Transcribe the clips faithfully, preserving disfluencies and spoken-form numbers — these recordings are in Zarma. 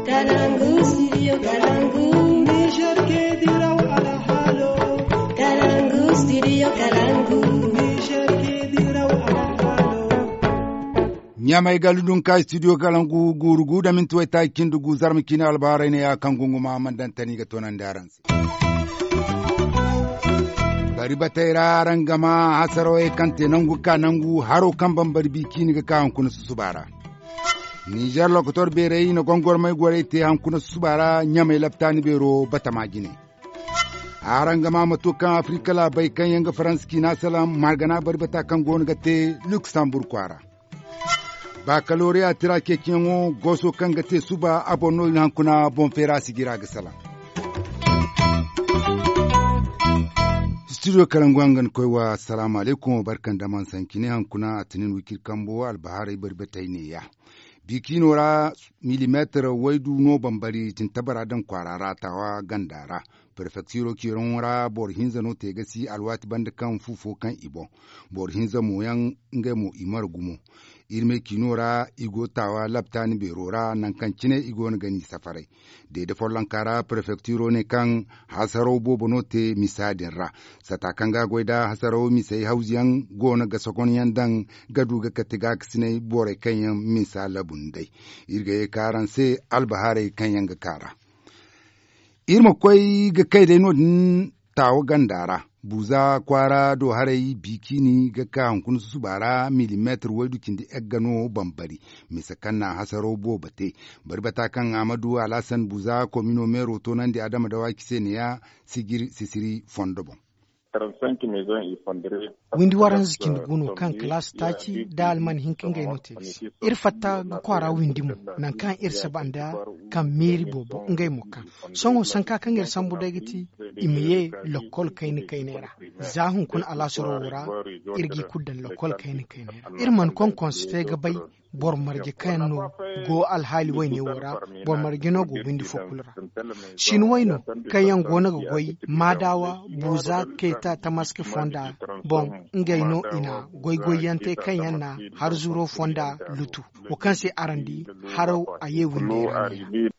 Kalangu, studio Kalangu. Niger ke diraw alhalo. Kalangu, studio Kalangu. Niger ke diraw alhalo. Ɲamay ga ludun ka studio Kalangu guuru gu da minti waytaaci cindi gu zarma ciine albaharay ne ya kaŋ gunguma man daŋ tani ga toonandi araŋ se. Bari batey ra araŋ ga ma hasarawey kaŋ te nangu ga ka nangu haro kaŋ bambari bi ciine ga ka hunkuna susuba ra. Nizer lokotor beerey i na gongormay gorey te hankuna susuba ra ɲamay laptaani beero batama jine. Araŋ ga ma mato kaŋ afirika laabey kaŋ yaŋ ga faransa ciina salaŋ margana bari bata kaŋ go no ga te luksamburg kwaara. Bakaloriya tira ceeciyaŋo gooso kaŋ ga te suba a boŋ no i na hankuna boŋ feera sijira ga salaŋ. Studio karangu hangan koy wa asalaamu alaykum barka nda man sanci ne hankuna a tinin wikir kambo albaharay bari batay neeya. Bikiino ra milimeetar waydu no bambari tintabara daŋ kwaara ra taawa ganda ra. Perfektiro ciiraŋo ra boro hinza no te ga si alwaati banda kaŋ fu fo kaŋ i boŋ. Boro hinza mo yaŋ ngey mo i mara gumo. Iri me ciino ra i go taawa laptaani beero ra nangu kaŋ cine i go no ga ni safaray. Deede follonka ra perfektiro ne kaŋ hasaraw boobo no te misa din ra. Sata kaŋ ga goy da hasaraw misey hawzu yaŋ go no ga sokonyaŋ daŋ ga du ga kate gaakasinay borey kaŋ yaŋ misa labu nd'ey. Iri ga ye ka araŋ se albahaarey kaŋ yaŋ ga ka ra. Iri ma koy ga kay day no- din taawa ganda ra. Buuza kwaara do haray bikiini ga ka hunkuna susuba ra milimeetar waydu cindi egga no bambari. Misa kaŋ na hasaraw boobo te. Bari bata kaŋ amadu alhasan buuza komino meero toonandi adama dawaaki se neeya sijir sisiri fondo boŋ. Windi waranza cindi gu no kaŋ kalaasi taaci nda alman hinka ngey no te ga si. Iri fatta ga kwaara windi mo nangu kaŋ iri saba nda kaŋ meeri boobo ngey mo kaŋ. Sohõ sanka kaŋ iri sambu day ga ti i ma ye lokkol kayna kayney ra. Za hunkuna alaasaro wo ra iri g'i kulu daŋ lokkol kayna kayney ra iri mana konkonse te ga bay. Boro marje kaŋ yaŋ no go alhaali wayne wo ra. Boro marje no go windi fo kulu ra. Sinwey no kaŋ yaŋ go no ga goy maadawa buuza keeta tamaske fonda boŋ. Ngey no i na goy goyyaŋ te kaŋ yaŋ na harzuro fonda lutu. Wo kaŋ se araŋ di haraw a ye windey ra neeya.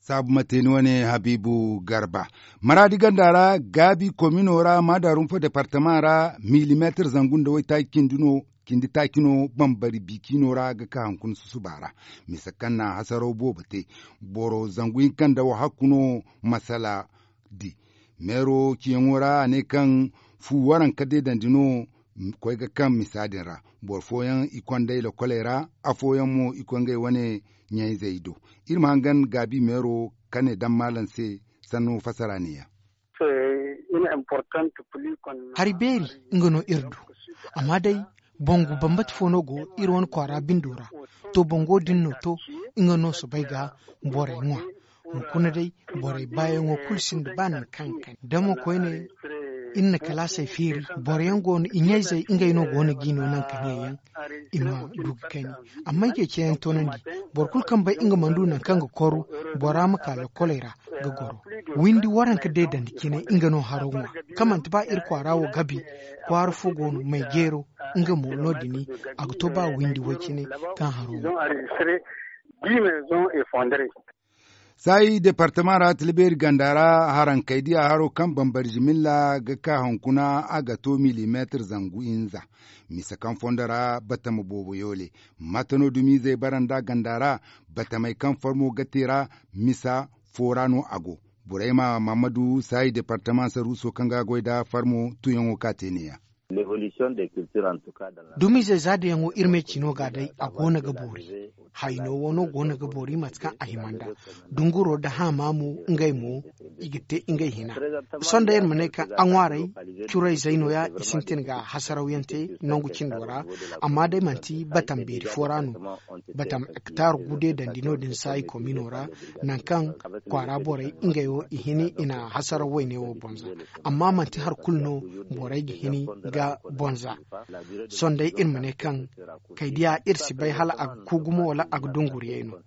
Saabu ma te ni wane habiibu garba maraadi ganda ra gaabi komino ra maadarum fo departama ra milimeetar zangu nda waytaaci cindi no cindi taaci no bambari bikiino ra ga ka hunkuna susuba ra. Misa kaŋ na hasaraw boobo te boro zangu hinka nda wahakku no masala di. Meero ciyaŋo ra a ne kaŋ fu waranka deedandi no koy ga kaŋ misa din ra. Boro fooyaŋ i kond'ey lokoley ra afooyaŋ mo i koy ngey wane ɲayzey do. Iri ma hangan gaabi meero ka ne daŋ maalam se sanno fasara neeya. Hari beeri nga no iri du. Amma day bangu bambata fo no go iri wane kwaara bindo ra. To bango din no to nga no soobay ga borey ŋwa. Hunkuna day borey baayaŋo kulu sinda ba nangu kaŋ ga kani damo koyne. Iri na kalaasey feeri boro yaŋ go no i ɲayzey ngey no go no g'i no nangu kaŋ yaŋ i ma du ga kani. Amma ay ceeciyaŋ toonandi boro kulu kaŋ bay nga mana du nangu kaŋ ga koru bora ma ka lokkoley ra ga goro. Windi waranka deedandi cine nga no haro ŋwa kaŋ manti ba iri kwaara wo gabi kwaara fo go no may jeero nga mo no- din a ga to ba windi way cine kaŋ haro ŋwa. Saayi departama ra tilbeeri ganda ra harankey diya haro kaŋ bambari jimilla ga ka hunkuna a ga to milimeetar zangu hinza. Misa kaŋ fondo ra batama boobo yoole mate no dumizey bara nda ganda ra. Batamey kaŋ farmo ga te ra misa fo ra no a go. Burayma mahamadu saayi departama saruuso kaŋ ga goy nda farmo tuyaŋo ka te neeya. Dumizey za dayaŋo iri me cino ga day a go no ga boori. Hayno wo no go no ga boori mate kaŋ a hima nd'a. Dunguro nda haama mo ngey mo i ga te ngey hina. Sohõ day iri ma ne kaŋ a ŋwaaray curayzey no- ya i sintin ga hasarawyaŋ te nangu cindo ra. Amma day manti batam beeri fo ra no. Batam hektar gude dandi no- din saayi komino ra. Nangu kaŋ kwaara borey ngey wo i hini i na hasaraw wayne wo bonza. Amma manti hari kulu no borey ga hini ga bonza. Sohõ day iri ma ne kaŋ kay diya iri si bay hala a ga ku gumo wala a ga dunguriyay no.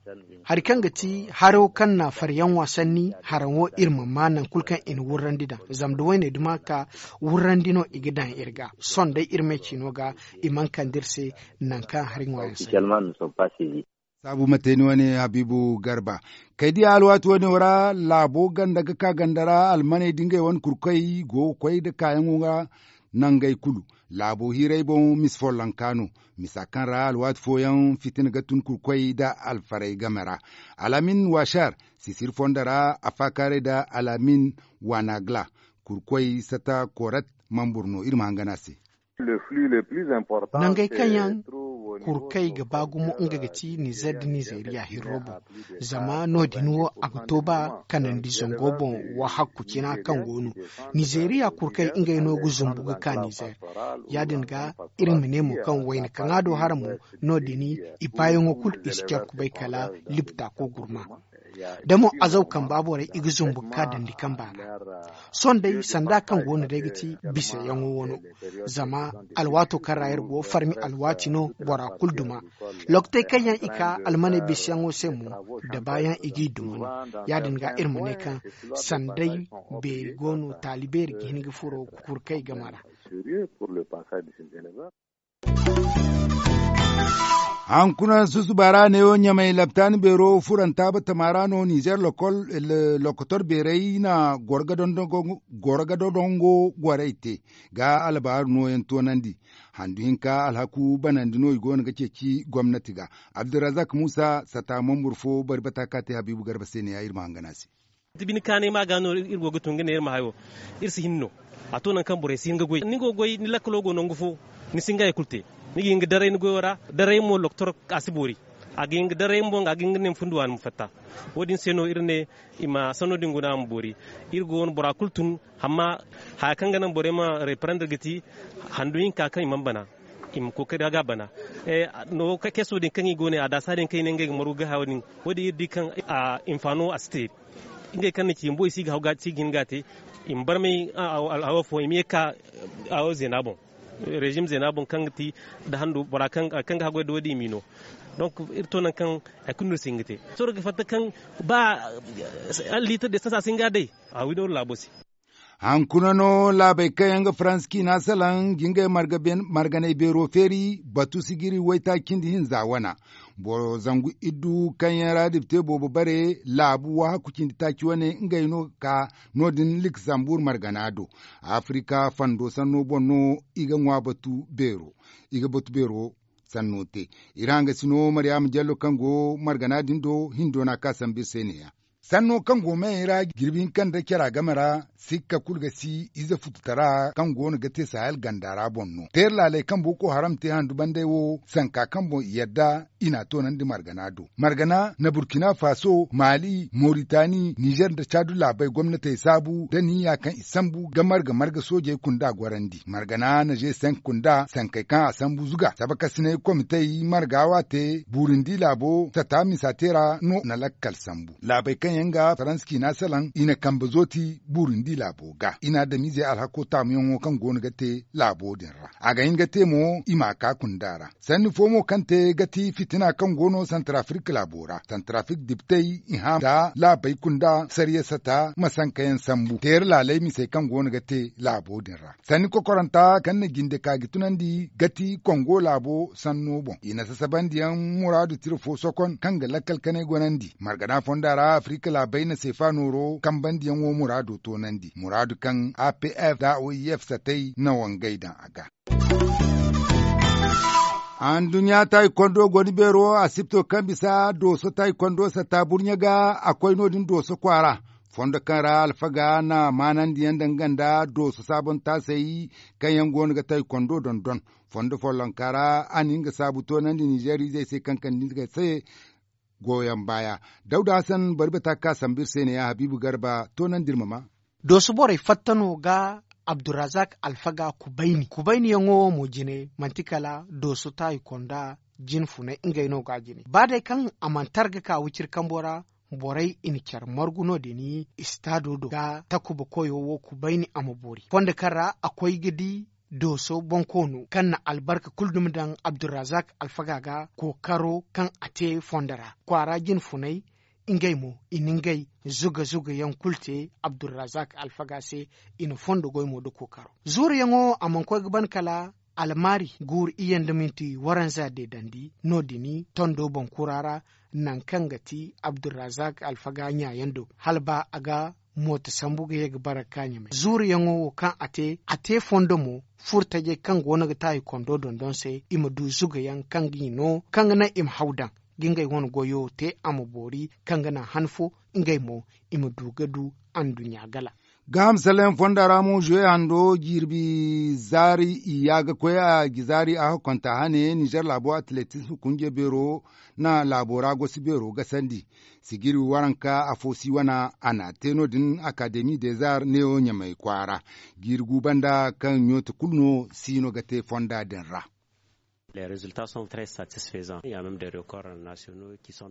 Hari kaŋ ga ti haro kaŋ na faryaŋ wa sanni haraŋ wo iri ma ma nangu kulu kaŋ i na wurrandi daŋ zama da wayne duma ka wurrandi no i ga daŋ iri ga. Sohõ day iri me cino ga i mana kande iri se nangu kaŋ hari ŋwaayaŋ sanni. Saabu ma te ni wane habiibu garba. Kay diya alwaati wane wo ra laabo ganda ga ka ganda ra almaney da ngey wane kurkoy go ga koy nda kaayaŋo ga nangey kulu. Laabo hiirey boŋ misa follonka no. Misa kaŋ ra alwaati fooyaŋ fitina ga tun kurkoy nda alfarey game ra. Alamin washar sisir fondo ra a faakaaray nda alamin wanagla. Kurkoy sata korat mambur no iri ma hangan a se. Nangey kaŋ yaŋ kurkey ga ba gumo nga ga ti nizer nda nizeriya hirro boŋ. Zama no- din wo a ga to ba kanandi zango boŋ wahakku cina kaŋ go no. Nizeriya kurkey ngey no ga zumbu ga ka nizer. Ya- din ga iri ma ne mo kaŋ wayna kaŋ a do hara mo, no- din i baayaŋo kulu i si care kubay kala libta ko gurma. Da mo azaw kamba borey i ga zumbu ga ka dandi kamba ra. Sohõ day sanda kaŋ go no day ga ti bisayaŋo wano. Zama alwaato kaŋ ra iri go farmi alwaati no bora kulu duma. Lokotey kaŋ yaŋ i ka almaney bisayaŋo se mo, da baayaŋ i g'i duma no. Ya- din ga iri ma ne kaŋ sanday beeri go no taali beeri ga hin ga furo kurkey game ra. Hankuna susuba ra neewo ɲamay laptaani beero furanta batama ra no nizer lokotor beerey na goro ga dondongo gorey te ga alabaaru nooyaŋ toonandi. Handu hinka alhaku banandi no i goono ga ceeci gomnati ga. Abdulrazak muusa sata mambur fo bari bata ka te habiibu garba se ne ya iri ma hangan a se. Bine kaanay ma ga no iri go ga tun ga ne iri ma hayo. Iri si hin no. A to nangu kaŋ borey si hin ga goy ni go ga goy ni lakkalo go nangu fo. Ni si hin ga hari kulu te. Ni ga hin ga daray ni goyo ra. Daray mo loktor a si boori. A ga hin ga daray mo a ga hin ga ne ma fundi waani ma fatta. Wo- din se no iri ne i ma sanno din guna a ma boori. Iri go no bora kulu tun. Amma haya kaŋ ga naŋ borey ma reprendre ga ti handu hinka kaŋ i mana bana. I ma kookari ga bana. Keso din kaŋ i go ne a daasa din kaŋ i ne ngey ga maru ga haya wo- din. Wo- din iri di kaŋ hinfaano a si te. Ngey kaŋ na ci bumbo i si ga hin ga a te. I ma barmay hawo fo i ma ye ga ka hawo zeena boŋ. Režim zeena boŋ kaŋ ga ti nda handu bora kaŋ ga haggoy nda wo- din i m'i no. Donk iri to nangu kaŋ hari kulu no iri si hin ga te. Sohõ iri ga fatta kaŋ ba liitar de sasa si hin ga a day. A wi no iri laabo se. Hankuna no laabey kaŋ yaŋ ga faransa ciina salaŋ ga ngey marganay beero feeri batu sijiri waytaaci cindi hinza wana. Boro zangu iddu kaŋ yaŋ ra dipte boobo bare laabu wahakku cindi taaci wane ngey no ga ka no- din liksambuur margana do. Afirika fando sanno boŋ no i ga ŋwa batu beero i ga batu beero sanno te. Iri hangasino maryaama jallo kaŋ go margana din do hindo no a ka sambu iri se ne- ya. Sanno kaŋ go meyey ra jirbi hinka nda care a game ra sikka kulu ga si ize fututara kaŋ go no ga te sahel ganda ra boŋ no teeri laaley kaŋ boko haram te handu bandey wo sanka kaŋ boŋ i yadda i n'a toonandi margana do. Margana na burkina faso mali moritani nizer nda caadu laabey gomnatey saabu da niya kaŋ i sambu ga marga marga soojey kunda gorandi margana na g cinq kunda sankey kaŋ a sambu zuga sabakasinay komitey marga waate buurindi laabo sata misa te ra no na lakkal sambu. Laabey kaŋ yaŋ ga faransa ciina salaŋ i na kambe zooti buurindi laabo ga i na adamiizey alhako taamuyaŋo kaŋ go no ga te laabo din ra a ga hin ga te mo i m'a ka kunda ra. Sanni fo mo kaŋ te ga ti fitina kaŋ go no santarafirka laabo ra santarafirka diptey i hã nda laabey kunda sariyasata ma sankayaŋ sambu teeri laaley misey kaŋ go no ga te laabo din ra. Sanni kokoranta kaŋ na jinde ka ga tunandi ga ti kongo laabo sanno boŋ i na sasabandiyaŋ muraadu tira fo sokon kaŋ ga lakkal kanay gonandi margana fonda ra afirka laabey na seefa nooro kambandiyaŋo muraado toonandi muraadu kaŋ a p f nda o i f satey na wangay daŋ a ga. Anduɲɲa taayikondo goni beero asipto kaŋ bisa dooso taayikondo satta burɲe ga a koy no- din dooso kwaara fondo kaŋ ra alfaga na maanandiyaŋ daŋ ganda dooso saabontaasey kaŋ yaŋ go no ga taayikondo dondon. Fondo follonka ra a na nga saabu toonandi nizeer izey se kaŋ kande nga se. Gooyaŋ baaya dawda hasan bari bata ga ka sambu iri se ne ya habiibu garba toonandi iri ma ma. Dooso borey fatta no ga abdurazak alfaga kubayni kubayniyaŋo wo mo jine manti kala dooso taayi konda jine funay ngey no ga a jine ba day kaŋ a mana tar ga ka wiciri kambo ra. Borey i na care margu no- din istaado do ga takuba koyo wo kubayni a ma boori fondo kaŋ ra a koy ga di dooso bonkoono kaŋ na albarka kulu dumi daŋ abdurazak alfaga ga kookaro kaŋ a te fondo ra kwaara jine funay. Ngey mo i na ngey zuga zuga yaŋ kulu te abdurazak alfaga se. I na fondo goy mo nda kookaro zuuruyaŋo a mana koy ga ban kala almaari guuru iyye nda minti waranza deedandi no- din tondo boŋ kura ra. Nangu kaŋ ga ti abdulrazak alfaga ɲaayaŋ do hala ba a ga mooto sambu ga ye ga bara ga ka ɲamay zuuruyaŋo wo kaŋ a te a te fondo mo. Furtajey kaŋ go no ga taayi kondo dondon se i ma du zugayaŋ kaŋ ga i no kaŋ ga naŋ i ma haw daŋ ga ngey wane goyo te a ma boori kaŋ ga naŋ han fo ngey mo i ma du ga du anduɲɲa gala. Gaaham salayaŋ fonda ra mo zuwe hando jirbi zaari i ya ga koy a ga zaari a hakkonta hane nizer laabo atletism kunje beero na laabo ra gosi beero gasandi. Sijiri waranka afo si wana a na te no- din akademi des arts neewo ɲamay kwaara. Jiiri gu banda kaŋ ɲooti kulu no si no ga te fonda din ra.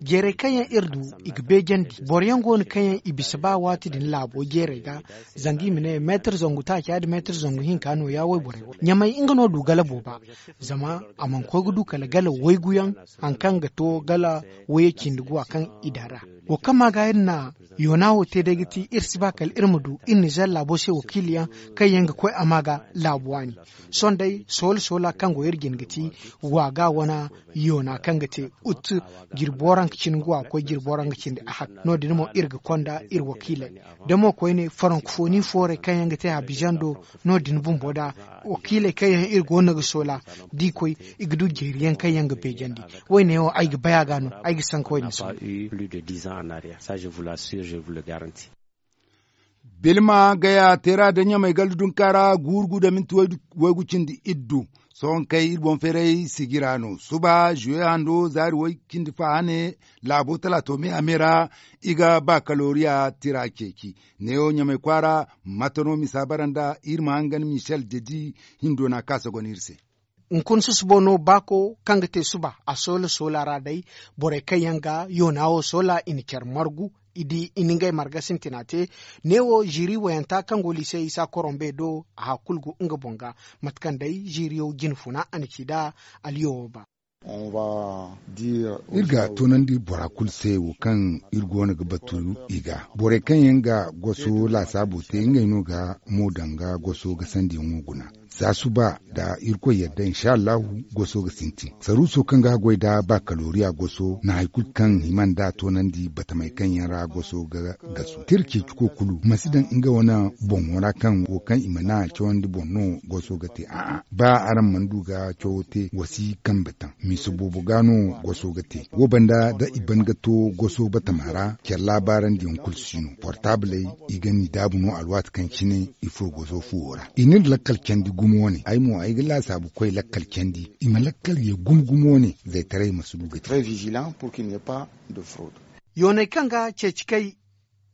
Jeeray kaŋ yaŋ iri du i ga beejandi boro yaŋ go no kaŋ yaŋ i bisa ba waati din laabo jeeray ga. Zanga i ma ne meetar zangu taaca nda meetar zangu hinka nooya wayborey wo ɲamay nga no du gala booba. Zama a mana koy ga du kala gala waygu yaŋ hari kaŋ ga to gala waye cindi guwa kaŋ i daŋ ra. Wo kaŋ ma ga iri na yoona wo te day ga ti iri si ba kala iri ma du iri nizer laabo se wakiili yaŋ kaŋ yaŋ ga koy a ma ga laabu waani. Sohõ day soola soola kaŋ go iri jine ga ti waaga wane yoona kaŋ ga te ut jirbi waranka cindi nga wa ga koy jirbi waranka cindi ahak no- din mo iri ga konda iri wakiiley. Da mo koyne farankofoni foorey kaŋ yaŋ ga te habizando no- din bumbo da wakiiley kaŋ yaŋ iri go no ga soola da i koy i ga du jeeri yaŋ kaŋ yaŋ ga beejandi. Wo- ne wo ay ga bay a ga no ay ga sanka wo- din sohõ. Bilma gaya teera da ɲamay gallu dunka ra guuru gu da minti waygu cindi iddu. Sohõ kay iri boŋ feeray sijira no suba zuwe hando zaari way cindi fa hane. Laabo talaato me a me ra i ga bakaloriya tira ceeci. Neewo ɲamay kwaara mate no misa bara nda iri ma hangan michel dedi hindo na kaasa gona iri se. Hunkuna susubo no baako kaŋ ga te suba a soola soola ra day. Borey kaŋ yaŋ ga yoona wo soola i na care margu i di i na ngey marga sintina te. Neewo ziiri wayanta kaŋ go liise isa korombe do a hakulu go nga boŋ ga mate kaŋ day ziiriyo jine funa a na ci nd'a. Aliyo wo ba. Iri ga toonandi bora kulu se wo kaŋ iri go no ga batu i ga borey kaŋ yaŋ ga goso laasaabo te ngey no ga mo daŋ ga goso ga sandiyaŋo guna. Za suba da irkoy yadda insha allahu goso ga sintin saruuso kaŋ ga goy nda bakaloriya goso na hari kulu kaŋ hima nd'a toonandi batamey kaŋ yaŋ ra goso ga gasu tira ceeciko kulu ma si daŋ nga wane boŋo ra kaŋ wo kaŋ i mana cawandi boŋ no goso ga te a'a ba araŋ mana du ga cawo te wa si kambe taŋ. Misa boobo ga no goso ga te wo banda da i ban ga to goso batama ra care laabaarandi yaŋ kulu si no portaabley i ga ni daabu no alwaati kaŋ cine i furo goso fuwo ra i n'iri lakkal candi gumo wane ay mo ay ga laasaabu koy lakkal candi i ma lakkal ye gumo gumo wane zaytaray ma si du ga te. Yooney kaŋ ga ceeci kay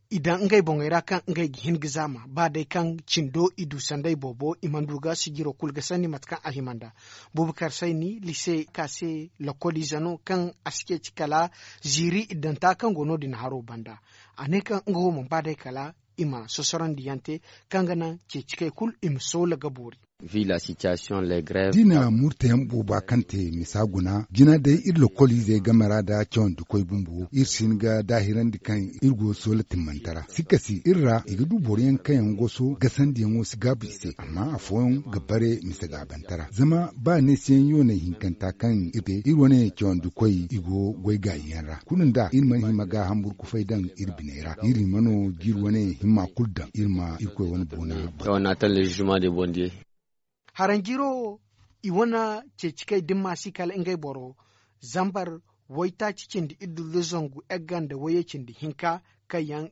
i daŋ ngey boŋey ra kaŋ ngey ga hin ga zaama ba day kaŋ cindo i du sanday boobo i mana du ga sijiro kulu ga sanni mate kaŋ a hima nd'a. Bubakar sayni lise ka se lokoliize no kaŋ a si ceeci kala ziiri iddanta kaŋ go no- din haro banda. A ne kaŋ nga wo mana ba day kala i ma sosorandi yaŋ te kaŋ ga naŋ ceeci kay kulu i ma soola ga boori. Dina murtayaŋ booba kaŋ te misa guna jina day iri lokoliizey game ra nda cawandi koy bumbo iri si hin ga daahirandi kaŋ iri go soola timmantara sikka si iri ra i ga du boroyaŋ kaŋ yaŋ goso gasandiyaŋo si gaabu i se amma afooyaŋ ga bare misa gaabantara zama ba neesiyaŋ yooney hinkanta kaŋ iri te iri wane cawandi koy i go goy gaayiyaŋ ra kulu nda iri mana hima ga hamburu kufay daŋ iri biney ra iri hima no ga iri wane himma kulu daŋ iri ma irkoy wane boona. Haranjiro wo i wane ceeci kay dimma si kala ngey boro zambar waytaaci cindi iddu nda zangu egga nda wayye cindi hinka kaŋ yaŋ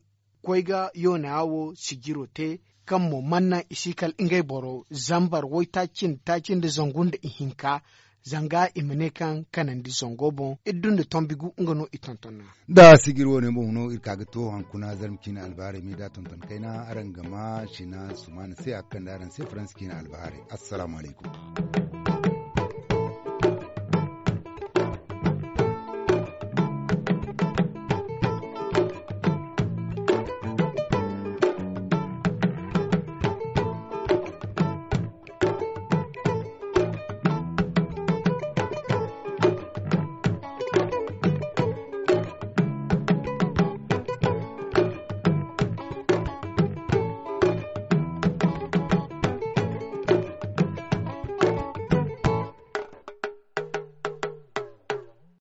koy ga yoona wo sijiro te kaŋ mo mana naŋ i si kala ngey boro zambar waytaaci cindi taaci nda zangu nda ihinka. Zanga i ma ne kaŋ kanandi zango boŋ iddu nda tombi gu nga no i tonton. Nda sijiri wo- ne boŋ no iri ka ga to hankuna zarma ciine albahaarey meeda tonton kayna araŋ ga ma sina sumaana se a ga kande araŋ se faransa ciine albahaarey. Assalaamu alaykum.